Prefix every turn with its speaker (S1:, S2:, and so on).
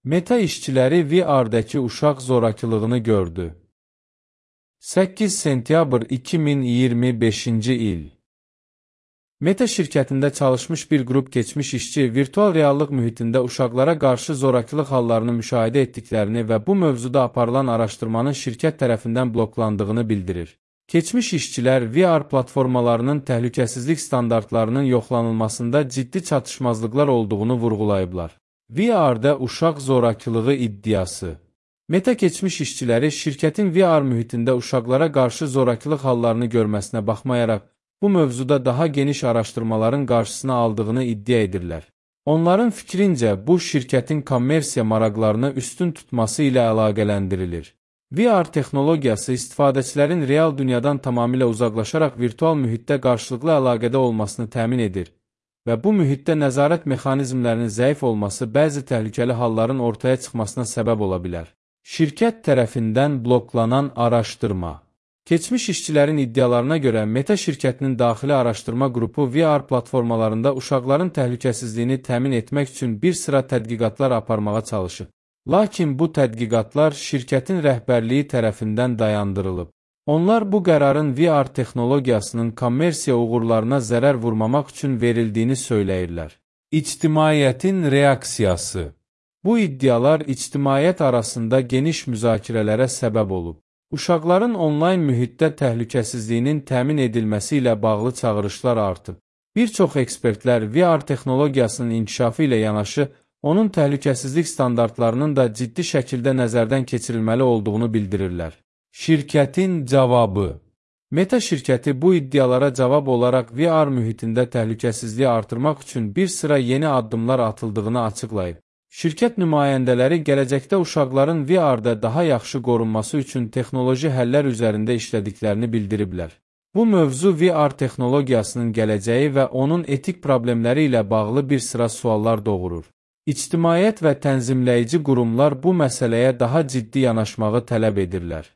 S1: Meta işçiləri VR-dəki uşaq zorakılığını gördü. 8 sentyabr 2025-ci il. Meta şirkətində çalışmış bir qrup keçmiş işçi virtual reallıq mühitində uşaqlara qarşı zorakılıq hallarını müşahidə etdiklərini və bu mövzuda aparılan araşdırmanın şirkət tərəfindən bloklandığını bildirir. Keçmiş işçilər VR platformalarının təhlükəsizlik standartlarının yoxlanılmasında ciddi çatışmazlıqlar olduğunu vurğulayıblar. VR-də uşaq zorakılığı iddiası. Meta keçmiş işçiləri şirkətin VR mühitində uşaqlara qarşı zorakılıq hallarını görməsinə baxmayaraq, bu mövzuda daha geniş araşdırmaların qarşısını aldığını iddia edirlər. Onların fikrincə, bu şirkətin kommersiya maraqlarını üstün tutması ilə əlaqələndirilir. VR texnologiyası istifadəçilərin real dünyadan tamamilə uzaqlaşaraq virtual mühitdə qarşılıqlı əlaqədə olmasını təmin edir və bu mühitdə nəzarət mexanizmlərinin zəif olması bəzi təhlükəli halların ortaya çıxmasına səbəb ola bilər. Şirkət tərəfindən bloklanan araşdırma. Keçmiş işçilərin iddialarına görə Meta şirkətinin daxili araşdırma qrupu VR platformalarında uşaqların təhlükəsizliyini təmin etmək üçün bir sıra tədqiqatlar aparmağa çalışıb. Lakin bu tədqiqatlar şirkətin rəhbərliyi tərəfindən dayandırılıb. Onlar bu qərarın VR texnologiyasının kommersiya uğurlarına zərər vurmamaq üçün verildiyini söyləyirlər. İctimaiyyətin reaksiyası. Bu iddialar ictimaiyyət arasında geniş müzakirələrə səbəb olub. Uşaqların onlayn mühitdə təhlükəsizliyinin təmin edilməsi ilə bağlı çağırışlar artıb. Bir çox ekspertlər VR texnologiyasının inkişafı ilə yanaşı, onun təhlükəsizlik standartlarının da ciddi şəkildə nəzərdən keçirilməli olduğunu bildirirlər. Şirkətin cavabı. Meta şirkəti bu iddialara cavab olaraq VR mühitində təhlükəsizliyi artırmaq üçün bir sıra yeni addımlar atıldığını açıqlayıb. Şirkət nümayəndələri gələcəkdə uşaqların VR-da daha yaxşı qorunması üçün texnoloji həllər üzərində işlədiklərini bildiriblər. Bu mövzu VR texnologiyasının gələcəyi və onun etik problemləri ilə bağlı bir sıra suallar doğurur. İctimaiyyət və tənzimləyici qurumlar bu məsələyə daha ciddi yanaşmağı tələb edirlər.